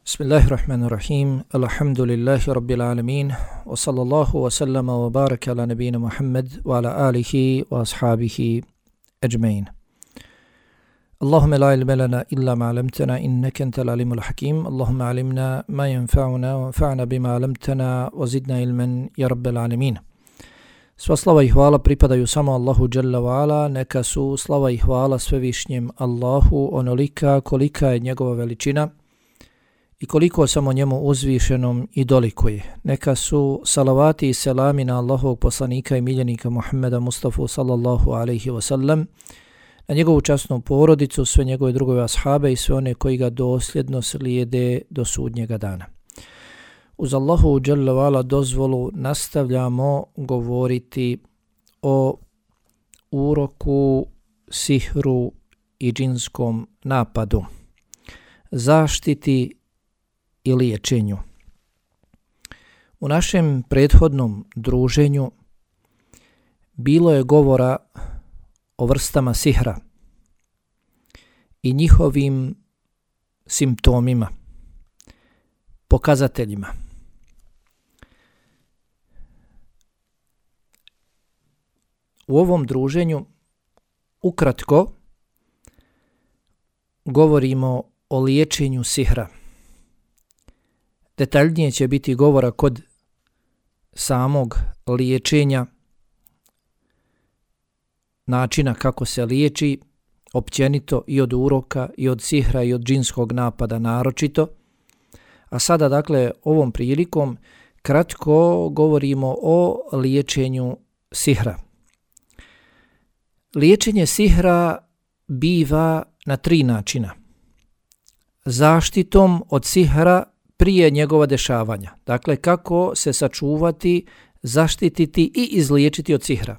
Bismillahirrahmanirrahim. Alhamdulillahi rabbil alamin. Wa sallallahu wa sallama wa baraka ala nabina Muhammad wa ala alihi wa ashabihi ajma'in. Allahumma la ilma lana illa ma 'allamtana innaka antal alimul hakim. Allahumma 'allimna ma yanfa'una wanfa'na bima 'allamtana wa zidna ilman ya rabbal alamin. Sva slava i hvala pripadaju samo Allahu dželle ve ala, neka su slava i hvala svevišnjem Allahu onolika kolika je njegova veličina i koliko samo njemu uzvišenom i dolikuje. Neka su salavati i selami na Allahovog poslanika i miljenika Muhammeda Mustafa sallallahu alaihi wasallam, na njegovu časnu porodicu, sve njegove drugove ashabe i sve one koji ga dosljedno slijede do sudnjega dana. Uz Allahu dželle ve ala dozvolu nastavljamo govoriti o uroku, sihru i džinskom napadu, zaštiti i liječenju. U našem prethodnom druženju bilo je govora o vrstama sihra i njihovim simptomima, pokazateljima. U ovom druženju ukratko govorimo o liječenju sihra. Detaljnije će biti govora kod samog liječenja, načina kako se liječi, općenito i od uroka, i od sihra, i od džinskog napada naročito. A sada, dakle, ovom prilikom kratko govorimo o liječenju sihra. Liječenje sihra biva na 3 načina. Zaštitom od sihra prije njegova dešavanja. Dakle, kako se sačuvati, zaštititi i izliječiti od sihra.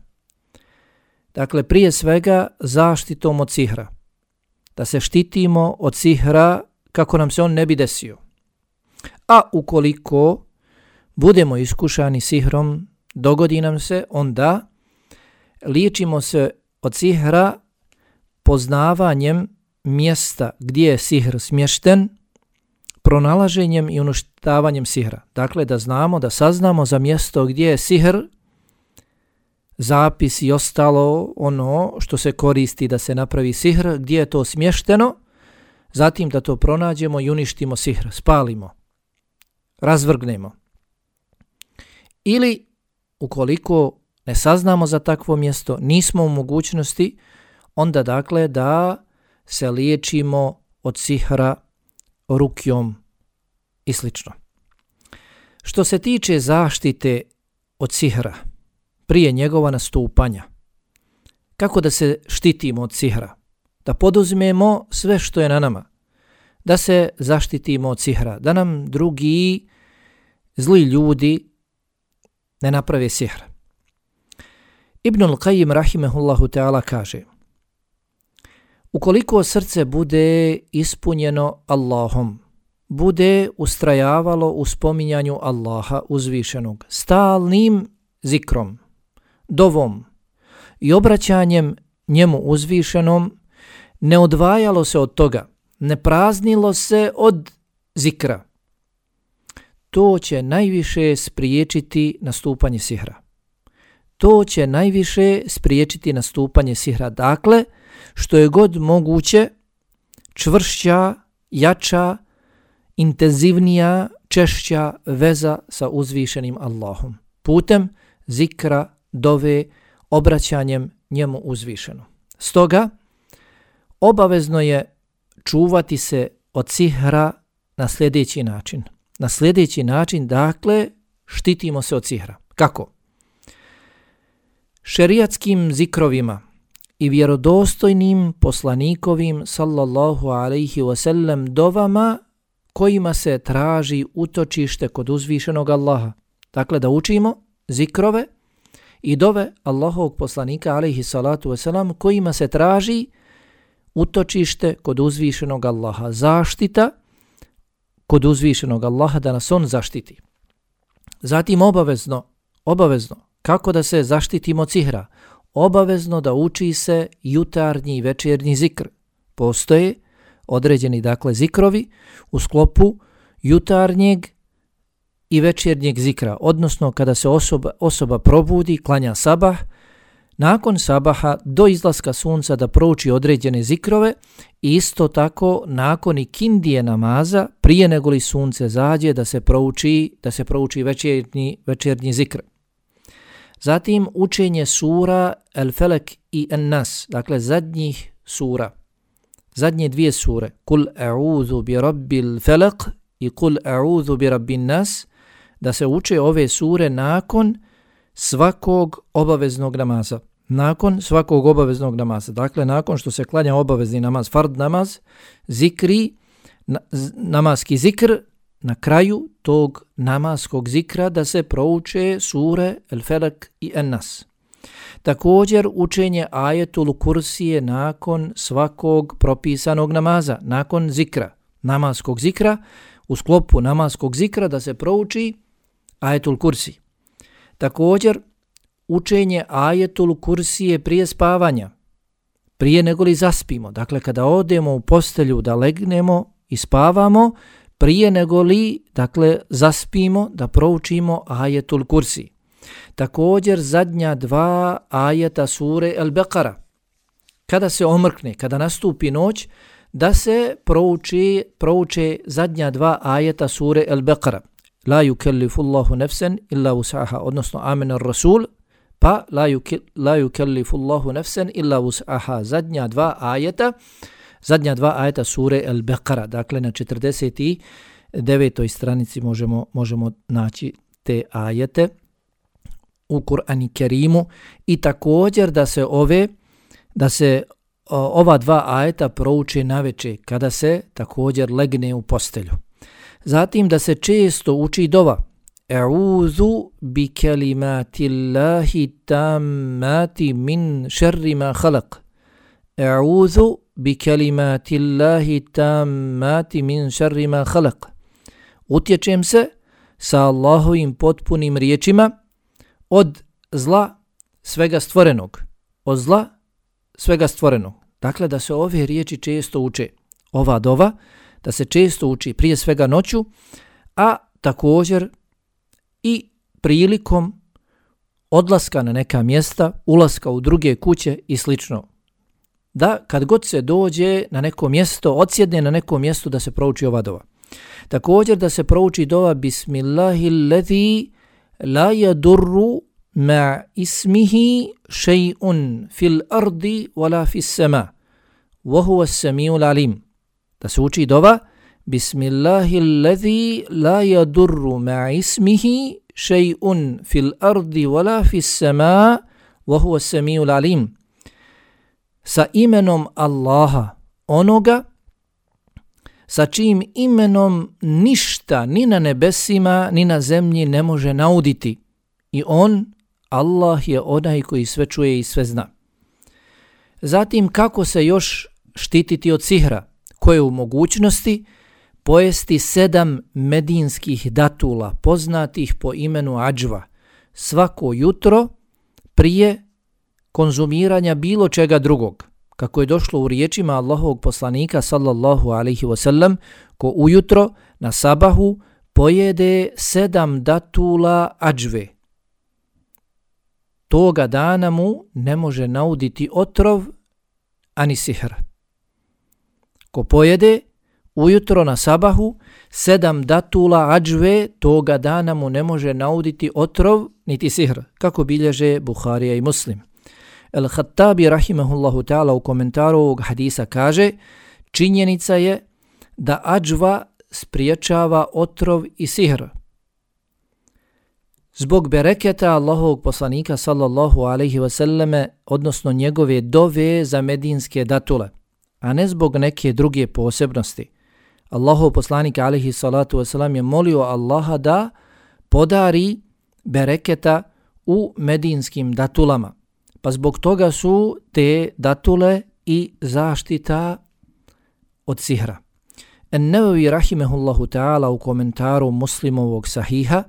Dakle, prije svega zaštitom od sihra. Da se štitimo od sihra kako nam se on ne bi desio. A ukoliko budemo iskušani sihrom, dogodi nam se, onda liječimo se od sihra poznavanjem mjesta gdje je sihr smješten, pronalaženjem i uništavanjem sihra. Dakle, da znamo, da saznamo za mjesto gdje je sihr, zapis i ostalo ono što se koristi da se napravi sihr, gdje je to smješteno, zatim da to pronađemo i uništimo sihr, spalimo, razvrgnemo. Ili, ukoliko ne saznamo za takvo mjesto, nismo u mogućnosti, onda dakle da se liječimo od sihra rukjom i slično. Što se tiče zaštite od sihra prije njegova nastupanja, kako da se štitimo od sihra? Da poduzmemo sve što je na nama, da se zaštitimo od sihra, da nam drugi zli ljudi ne naprave sihr. Ibnul Qayyim rahimehullahu ta'ala kaže: ukoliko srce bude ispunjeno Allahom, bude ustrajavalo u spominjanju Allaha uzvišenog, stalnim zikrom, dovom i obraćanjem njemu uzvišenom, ne odvajalo se od toga, ne praznilo se od zikra, to će najviše spriječiti nastupanje sihra. To će najviše spriječiti nastupanje sihra. Dakle, što je god moguće, čvršća, jača, intenzivnija, češća veza sa uzvišenim Allahom. Putem zikra, dove, obraćanjem njemu uzvišenom. Stoga, obavezno je čuvati se od sihra na sljedeći način. Na sljedeći način, dakle, štitimo se od sihra. Kako? Šerijatskim zikrovima i vjerodostojnim poslanikovim sallallahu alaihi wasallam dovama kojima se traži utočište kod uzvišenog Allaha. Dakle, da učimo zikrove i dove Allahovog poslanika alaihi salatu wasalam kojima se traži utočište kod uzvišenog Allaha. Zaštita kod uzvišenog Allaha, da nas on zaštiti. Zatim obavezno, kako da se zaštitimo od sihra? Obavezno da uči se jutarnji i večernji zikr. Postoje određeni dakle zikrovi u sklopu jutarnjeg i večernjeg zikra, odnosno kada se osoba probudi, klanja sabah, nakon sabaha do izlaska sunca da prouči određene zikrove i isto tako nakon ikindije namaza prije nego li sunce zađe da se prouči večernji zikr. Zatim učenje sura El-Felek i En-Nas, dakle zadnjih sura, zadnje dvije sure, Kul a'udhu bi rabbil felak i Kul a'udhu bi rabbin nas, da se uče ove sure nakon svakog obaveznog namaza. Nakon svakog obaveznog namaza. Dakle, nakon što se klanja obavezni namaz, fard namaz, zikri, namaski zikr, na kraju tog namaskog zikra da se prouče sure El-Felak i En-Nas. Također učenje ajetul kursije nakon svakog propisanog namaza, nakon zikra, namaskog zikra, u sklopu namaskog zikra da se prouči ajetul kursi. Također učenje ajetul kursije prije spavanja, prije nego li zaspimo. Dakle, kada odemo u postelju da legnemo i spavamo, prije nego li, dakle, zaspimo da proučimo ajetul kursi. Također zadnja dva ajeta sure El-Beqara. Kada se omrkne, kada nastupi noć, da se prouče zadnja dva ajeta sure El-Beqara. La yukellifu Allahu nefsen illa wus'aha, odnosno Amen ar-Rasul, pa la yukellifu Allahu nefsen illa wus'aha. Zadnja dva ajeta sure El-Beqara. Dakle, na 49. stranici možemo naći te ajete u Kur'anu Kerimu i također da se ova dva ajeta prouče naveče kada se također legne u postelju. Zatim da se često uči dova. A'udhu bi kalimatillahi tammati min šerri ma khalaq. A'udhu bi kalimatillahi tammati min šerri ma khalaq. Utječem se sa Allahovim potpunim riječima od zla svega stvorenog. Od zla svega stvorenog. Dakle, da se ove riječi često uče. Ova dova, da se često uči prije svega noću, a također i prilikom odlaska na neka mjesta, ulaska u druge kuće i slično. Da kad god se dođe na neko mjesto, odsjedne na neko mjesto da se prouči ova dova. Također da se prouči dova Bismillahilladzi la yadurru ma ismihi shay'un fil ardi wala fis sama wa huwa as-sami'ul alim. Da se uči dova Bismillahilladzi la yadurru ma ismihi shay'un fil ardi wala fis sama wa huwa as-sami'ul alim. Sa imenom Allaha, onoga sa čijim imenom ništa ni na nebesima ni na zemlji ne može nauditi. I on, Allah, je onaj koji sve čuje i sve zna. Zatim, kako se još štititi od sihra, koje je u mogućnosti pojesti 7 medinskih datula, poznatih po imenu adžva, svako jutro prije konzumiranja bilo čega drugog. Kako je došlo u riječima Allahovog poslanika sallallahu alaihi wasallam, ko ujutro na sabahu pojede 7 datula adžve. Toga dana mu ne može nauditi otrov ani sihr. Ko pojede ujutro na sabahu 7 datula adžve, toga dana mu ne može nauditi otrov niti sihr, kako bilježe Buharija i Muslim. El-Khattabi rahimahullahu ta'ala u komentaru ovog hadisa kaže: činjenica je da adžva spriječava otrov i sihr. Zbog bereketa Allahovog poslanika sallallahu alaihi wasallame, odnosno njegove dove za medinske datule, a ne zbog neke druge posebnosti. Allahov poslanik alaihi salatu wasalam je molio Allaha da podari bereketa u medinskim datulama. Pa zbog toga su te datule i zaštita od sihra. En-Nevevi rahimehullahu ta'ala u komentaru Muslimovog sahiha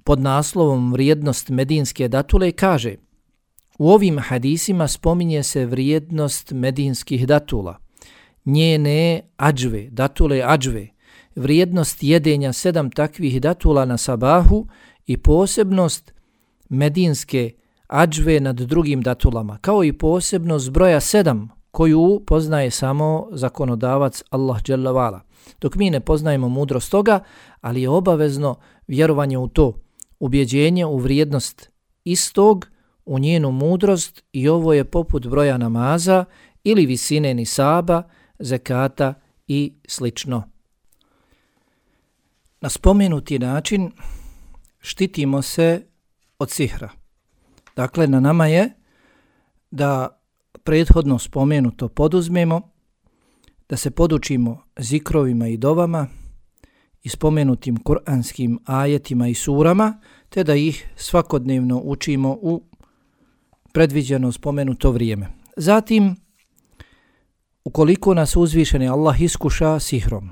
pod naslovom vrijednost medinske datule kaže: u ovim hadisima spominje se vrijednost medinskih datula, njene adžve, datule adžve, vrijednost jedenja 7 takvih datula na sabahu i posebnost medinske adžve nad drugim datulama, kao i posebnost broja 7 koju poznaje samo zakonodavac Allah dželle vala. Dok mi ne poznajemo mudrost toga, ali je obavezno vjerovanje u to, ubjeđenje u vrijednost istog, u njenu mudrost, i ovo je poput broja namaza ili visine nisaba, zekata i slično. Na spomenuti način štitimo se od sihra. Dakle, na nama je da prethodno spomenuto poduzmemo, da se podučimo zikrovima i dovama i spomenutim kuranskim ajetima i surama, te da ih svakodnevno učimo u predviđeno spomenuto vrijeme. Zatim, ukoliko nas uzvišeni Allah iskuša sihrom,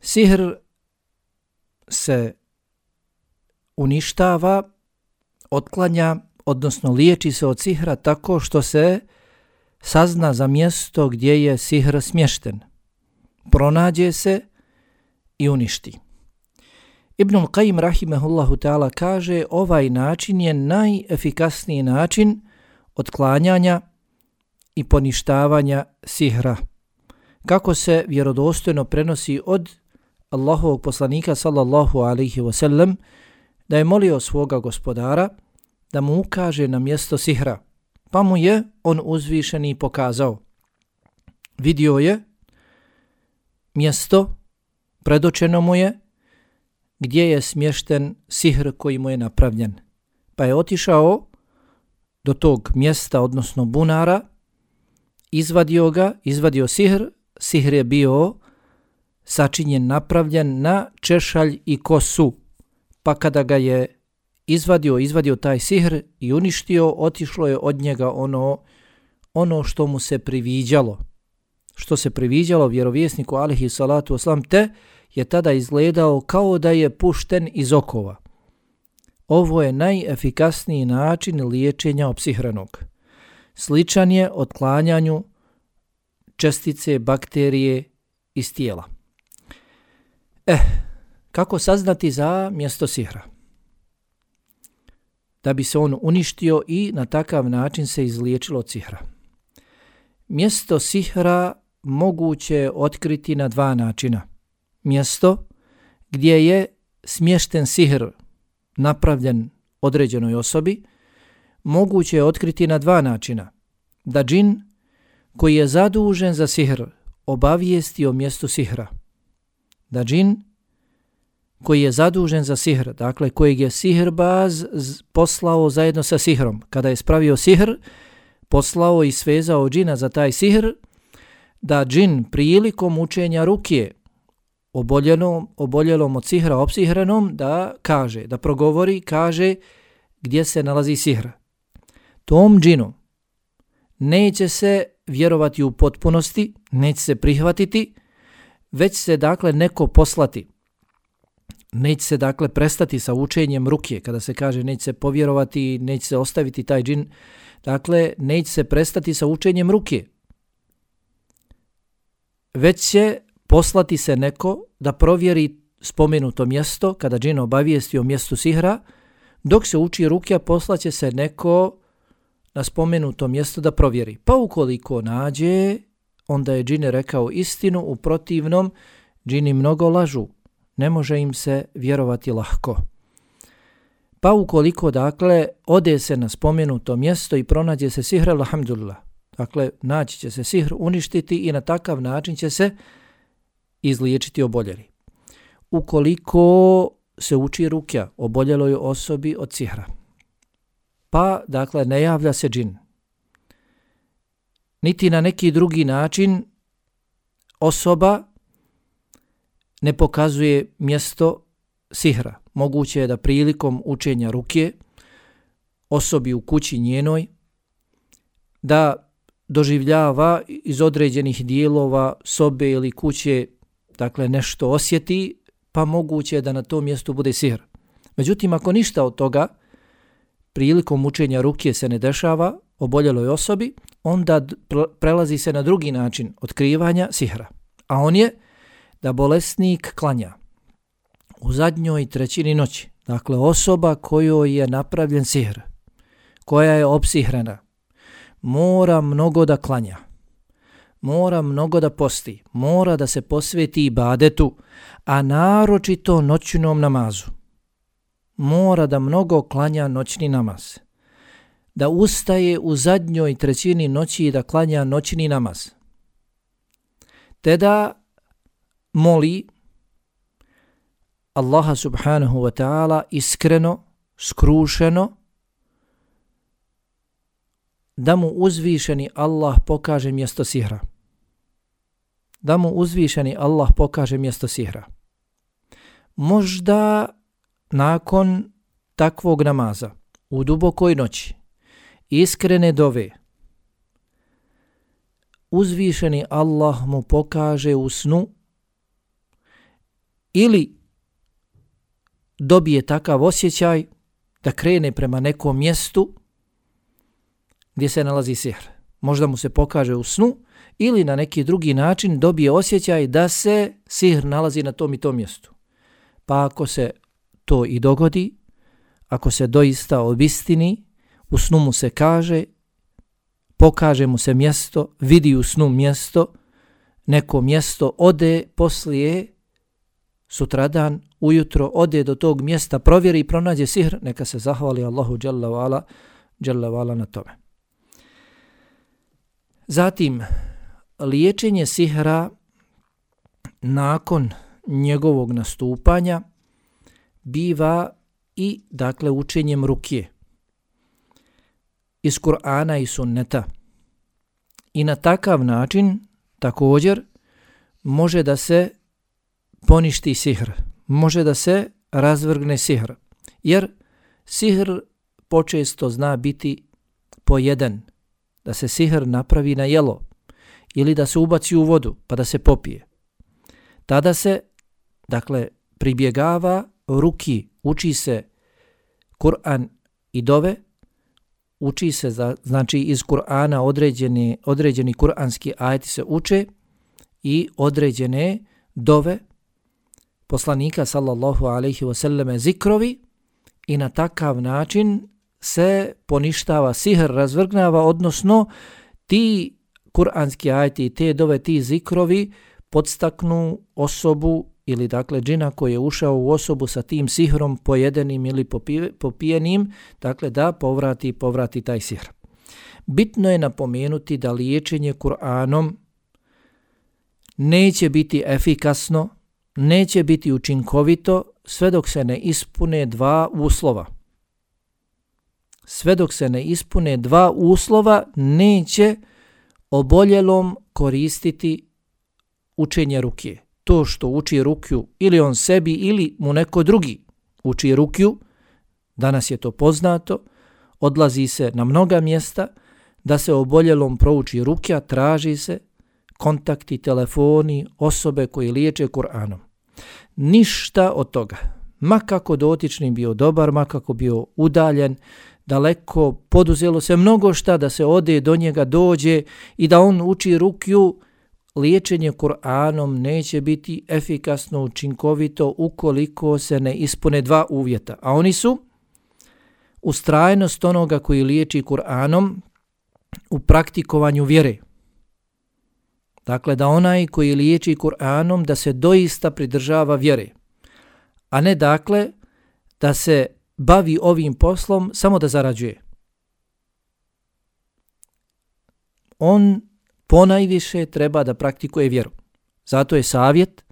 sihr se uništava, otklanja, odnosno liječi se od sihra tako što se sazna za mjesto gdje je sihr smješten, pronađe se i uništi. Ibnul Qajim rahimehullahu ta'ala kaže, ovaj način je najefikasniji način otklanjanja i poništavanja sihra. Kako se vjerodostojno prenosi od Allahovog poslanika sallallahu alaihi wasallam, da je molio svoga gospodara da mu ukaže na mjesto sihra, pa mu je on uzvišeni pokazao. Vidio je mjesto, predočeno mu je gdje je smješten sihr koji mu je napravljen. Pa je otišao do tog mjesta, odnosno bunara, izvadio sihr. Sihr je bio sačinjen, napravljen na češalj i kosu. Pa kada ga je izvadio taj sihr i uništio, otišlo je od njega ono što mu se priviđalo. Što se priviđalo vjerovjesniku alejhi salatu vesselam, te je tada izgledao kao da je pušten iz okova. Ovo je najefikasniji način liječenja opsihranog. Sličan je otklanjanju čestice bakterije iz tijela. Kako saznati za mjesto sihra? Da bi se on uništio i na takav način se izliječilo od sihra. Mjesto sihra moguće je otkriti na 2 načina. Mjesto gdje je smješten sihr napravljen određenoj osobi moguće je otkriti na 2 načina. Da džin koji je zadužen za sihr obavijesti o mjestu sihra. Da džin koji je zadužen za sihr, dakle kojeg je sihrbaz poslao zajedno sa sihrom, kada je spravio sihr, poslao i svezao džina za taj sihr, da džin prilikom učenja rukje oboljelom od sihra, opsihranom, da kaže, da progovori, kaže gdje se nalazi sihr. Tom džinu neće se vjerovati u potpunosti, neće se prihvatiti, već se dakle neko poslati. Neće se dakle prestati sa učenjem rukje, kada se kaže neće se povjerovati, neće se ostaviti taj džin, dakle neće se prestati sa učenjem rukje. Već će poslati se neko da provjeri spomenuto mjesto, kada džin obavijesti o mjestu sihra, dok se uči rukja poslaće se neko na spomenuto mjesto da provjeri. Pa ukoliko nađe, onda je džin rekao istinu, u protivnom džini mnogo lažu, ne može im se vjerovati lahko. Pa ukoliko dakle ode se na spomenuto mjesto i pronađe se sihr, alhamdulillah, dakle naći će se sihr, uništiti i na takav način će se izliječiti oboljeli. Ukoliko se uči rukja oboljeloj osobi od sihra, pa dakle ne javlja se džin, niti na neki drugi način osoba ne pokazuje mjesto sihra, moguće je da prilikom učenja rukje osobi u kući njenoj da doživljava iz određenih dijelova sobe ili kuće, dakle nešto osjeti, pa moguće je da na tom mjestu bude sihr. Međutim, ako ništa od toga prilikom učenja rukje se ne dešava, oboljeloj osobi, onda prelazi se na drugi način otkrivanja sihra. A on je da bolesnik klanja u zadnjoj trećini noći. Dakle, osoba kojoj je napravljen sihr, koja je opsihrena, mora mnogo da klanja, mora mnogo da posti, mora da se posveti ibadetu, a naročito noćnom namazu. Mora da mnogo klanja noćni namaz, da ustaje u zadnjoj trećini noći i da klanja noćni namaz, te da moli Allaha subhanahu wa ta'ala iskreno, skrušeno, da mu uzvišeni Allah pokaže mjesto sihra. Da mu uzvišeni Allah pokaže mjesto sihra. Možda nakon takvog namaza, u dubokoj noći, iskrene dove, uzvišeni Allah mu pokaže u snu ili dobije takav osjećaj da krene prema nekom mjestu gdje se nalazi sihr. Možda mu se pokaže u snu ili na neki drugi način dobije osjećaj da se sihr nalazi na tom i tom mjestu. Pa ako se to i dogodi, ako se doista obistini, u snu mu se kaže, pokaže mu se mjesto, vidi u snu mjesto, neko mjesto, ode poslije, sutradan, ujutro, ode do tog mjesta, provjeri i pronađe sihr, neka se zahvali Allahu dželle ve ala na tome. Zatim, liječenje sihra nakon njegovog nastupanja biva i, dakle, učenjem rukije iz Kur'ana i sunneta. I na takav način također može da se poništi sihr, može da se razvrgne sihr, jer sihr počesto zna biti pojeden, da se sihr napravi na jelo ili da se ubaci u vodu pa da se popije. Tada se, dakle, pribjegava ruki, uči se Kur'an i dove, uči se, znači iz Kur'ana određeni kur'anski ajeti se uče i određene dove poslanika sallallahu alejhi ve selleme zikrovi i na takav način se poništava sihr, razvrgnava, odnosno ti kur'anski ajeti i te dove, ti zikrovi podstaknu osobu ili, dakle, džina koji je ušao u osobu sa tim sihrom pojedenim ili popijenim, dakle, da povrati taj sihr. Bitno je napomenuti da liječenje Kur'anom neće biti efikasno, neće biti učinkovito sve dok se ne ispune dva uslova. Sve dok se ne ispune dva uslova, neće oboljelom koristiti učenje rukije. To što uči rukiju ili on sebi ili mu neko drugi uči rukiju, danas je to poznato, odlazi se na mnoga mjesta da se oboljelom prouči rukija, traži se kontakti, telefoni, osobe koji liječe Kur'anom. Ništa od toga. Ma kako dotični bio dobar, ma kako bio udaljen, daleko, poduzelo se mnogo šta da se ode do njega, dođe i da on uči rukiju, liječenje Kur'anom neće biti efikasno, učinkovito ukoliko se ne ispune dva uvjeta. A oni su ustrajnost onoga koji liječi Kur'anom u praktikovanju vjere. Dakle, da onaj koji liječi Kur'anom da se doista pridržava vjere. A ne, dakle, da se bavi ovim poslom samo da zarađuje. On ponajviše treba da praktikuje vjeru. Zato je savjet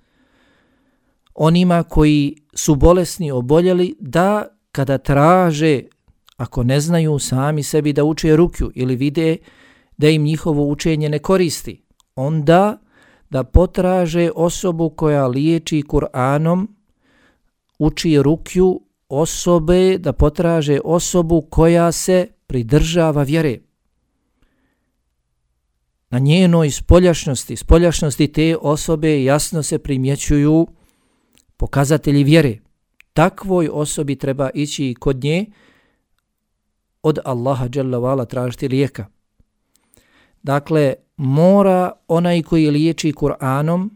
onima koji su bolesni, oboljeli, da kada traže, ako ne znaju sami sebi da uče rukju ili vide da im njihovo učenje ne koristi, onda da potraže osobu koja liječi Kur'anom, uči rukju, osobe, da potraže osobu koja se pridržava vjere. Na njenoj spoljašnosti te osobe jasno se primjećuju pokazatelji vjere. Takvoj osobi treba ići kod nje, od Allaha dželle ve ala tražiti lijeka. Dakle, mora onaj koji liječi Kur'anom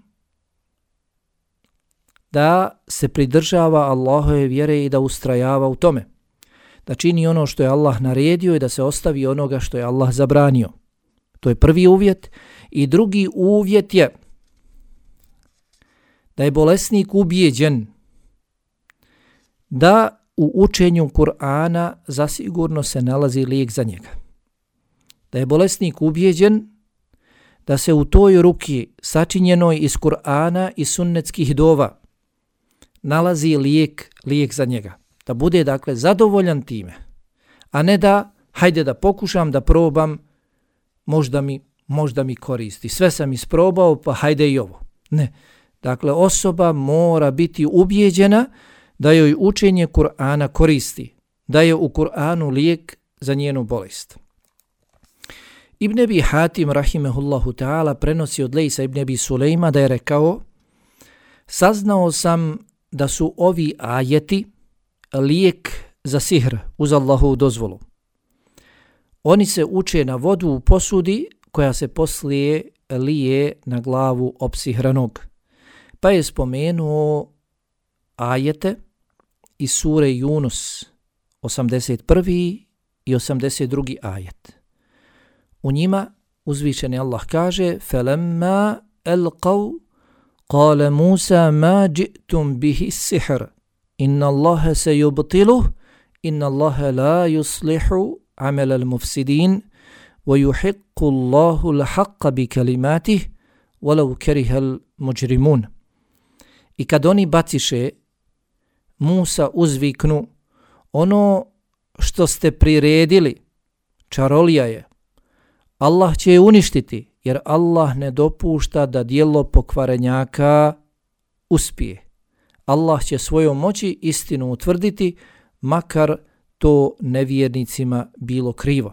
da se pridržava Allahove vjere i da ustrajava u tome. Da čini ono što je Allah naredio i da se ostavi onoga što je Allah zabranio. To je prvi uvjet. I drugi uvjet je da je bolesnik ubijeđen da u učenju Kur'ana zasigurno se nalazi lijek za njega. Da je bolesnik ubijeđen da se u toj ruki sačinjenoj iz Kur'ana i sunnetskih dova nalazi lijek za njega. Da bude dakle zadovoljan time, a ne da hajde da pokušam, da probam, možda mi koristi. Sve sam isprobao, pa hajde i ovo. Ne. Dakle, osoba mora biti ubijeđena da joj učenje Kur'ana koristi, da je u Kur'anu lijek za njenu bolest. Ibn Abi Hatim rahimehullahu ta'ala prenosi od Lejsa ibn Abi Sulejma da je rekao: saznao sam da su ovi ajeti lijek za sihr uz Allahovu dozvolu. Oni se uče na vodu u posudi koja se poslije lije na glavu opsihranog. Pa je spomenuo ajete iz sure Yunus 81. i 82. ajet. U njima uzvišeni Allah kaže: فَلَمَّا أَلْقَوْا قَالَ مُوسَى مَا جِئْتُمْ بِهِ السِّحْرِ إِنَّ اللَّهَ سَيُبْطِلُهُ إِنَّ اللَّهَ لَا يُصْلِحُ عَمَلَ الْمُفْسِدِينَ وَيُحِقُّ اللَّهُ الْحَقَّ بِكَلِمَاتِهِ وَلَوْ كَرِهَ الْمُجْرِمُونَ. I kad oni baciše, Musa uzviknu: ono što ste priredili, čarolija je. Allah će je uništiti, jer Allah ne dopušta da djelo pokvarenjaka uspije. Allah će svojom moći istinu utvrditi, makar to nevjernicima bilo krivo.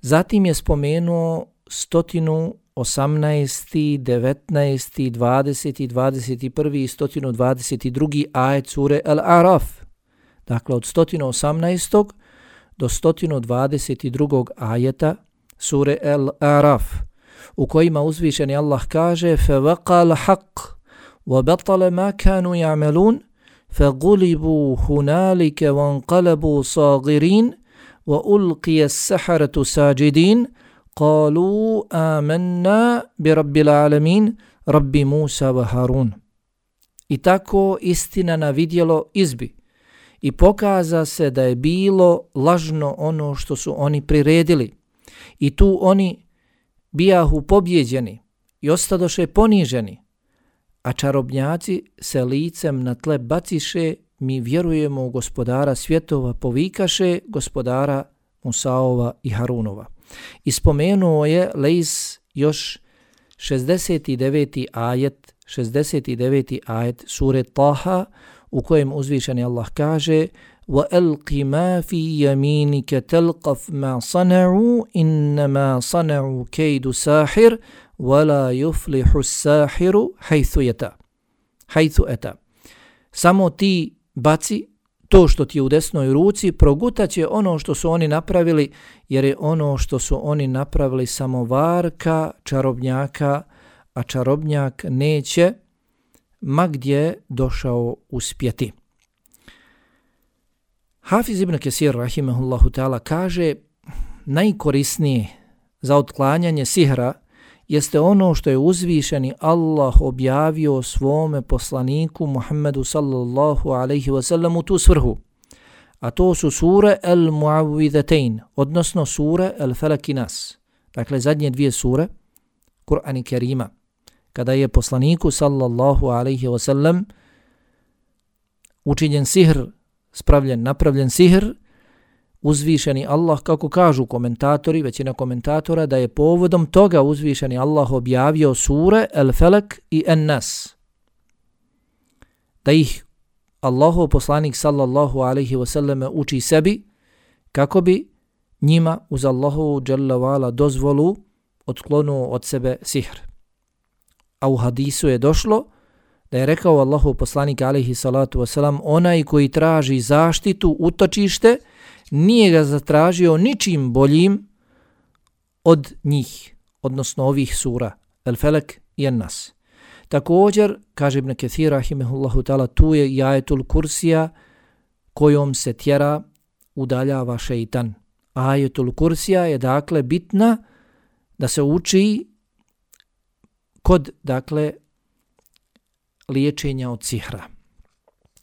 Zatim je spomenuo 118, 19, 20, 21 i 122 ajet sure Al-Araf. Dakle, od 118. do 122. ajeta sure Al-Araf, u kojima uzvišeni Allah kaže: فَوَقَى الْحَقِّ وَبَطَلَ مَا كَانُوا يَعْمَلُونَ فَغُلِبُوا هُنَالِكَ وَانْقَلَبُوا صَاغِرِينَ وَأُلْقِيَ السَّحَرَةُ سَاجِدِينَ قَالُوا آمَنَّا بِرَبِّ الْعَالَمِينَ رَبِّ مُوسَى وَهَارُونَ. I tako istina na vidjelo izbi i pokaza se da je bilo lažno ono što su oni priredili. I tu oni bijahu pobjeđeni i ostadoše poniženi, a čarobnjaci se licem na tle baciše: mi vjerujemo u gospodara svjetova, povikaše Gospodara Musaova i Harunova. I spomenuo je Lejs još 69. ajet sure Taha, u kojem uzvišeni Allah kaže: وَأَلْقِ مَا فِي يَمِينِكَ تَلْقَفْ مَا صَنَعُوا إِنَّمَا صَنَعُوا كَيْدُ سَاحِرٍ وَلَا يُفْلِحُ السَّاحِرُ حَيْثُ أَتَى. Samo ti baci to što ti je u desnoj ruci, progutaće ono što su oni napravili, jer je ono što su oni napravili samo varka čarobnjaka, a čarobnjak neće ma gdje došao uspjeti. Hafiz ibn Kesir rahimehullahu ta'ala kaže: najkorisnije za otklanjanje sihra jeste ono što je uzvišeni Allah objavio svome poslaniku Muhammedu sallallahu alaihi wasallam u tu svrhu. A to su sure Al-Mu'awwidhatayn, odnosno sure Al-Falak i Nas. Dakle, zadnje dvije sure Kur'ana Kerima. Kada je poslaniku sallallahu alaihi wasallam učinjen sihr, napravljen sihr, uzvišeni Allah, kako kažu komentatori, većina komentatora, da je povodom toga uzvišeni Allah objavio sure Al-Falak i An-Nas. Da ih Allahov poslanik sallallahu alaihi wasallam uči sebi, kako bi njima uz Allahovu dželle vala dozvolu otklonuo od sebe sihr. A u hadisu je došlo da je rekao Allahov poslanik alaihi salatu wasalam: onaj koji traži zaštitu, utočište, nije ga zatražio ničim boljim od njih, odnosno ovih sura, El Felek i En Nas. Također, kaže Ibn Kathir rahimehullahu ta'ala, tu je i ajetul kursija kojom se tjera, udaljava šeitan. Ajetul kursija je dakle bitna da se uči kod dakle liječenja od sihra.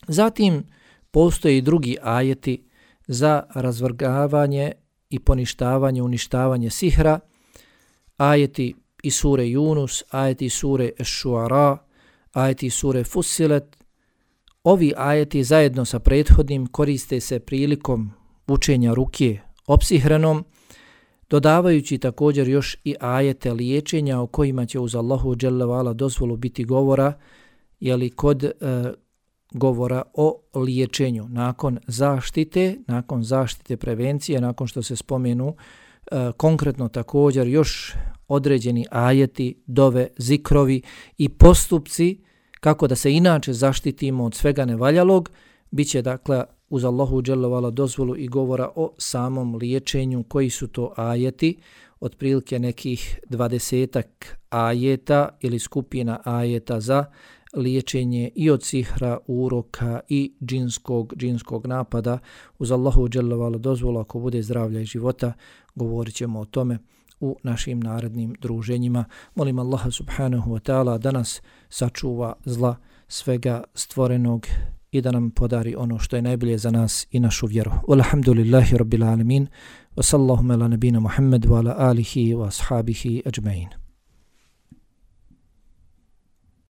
Zatim postoje i drugi ajeti za razvrgavanje i poništavanje, uništavanje sihra, ajeti iz sure Yunus, ajeti iz sure Eš-Šuara, ajeti iz sure Fussilet. Ovi ajeti zajedno sa prethodnim koriste se prilikom učenja rukje opsihrenom, dodavajući također još i ajete liječenja o kojima će uz Allahu dželle ve ala dozvolu biti govora, jeli kod govora o liječenju nakon zaštite prevencije, nakon što se spomenu konkretno također još određeni ajeti, dove, zikrovi i postupci kako da se inače zaštitimo od svega nevaljalog, bit će dakle uz Allahu dželle ve ala dozvolu i govora o samom liječenju. Koji su to ajeti? Otprilike nekih 20 ajeta ili skupina ajeta za liječenje i od sihra, uroka i džinskog napada. Uz Allahu dželle ve ala dozvolu, ako bude zdravlja i života, govorit ćemo o tome u našim narednim druženjima. Molim Allaha subhanahu wa ta'ala da nas sačuva zla svega stvorenog i da nam podari ono što je najbolje za nas i našu vjeru. Walhamdulillahi rabbil alamin. Wa sallallahu ala nabina Muhammad wa ala alihi wa ashabihi ajma'in.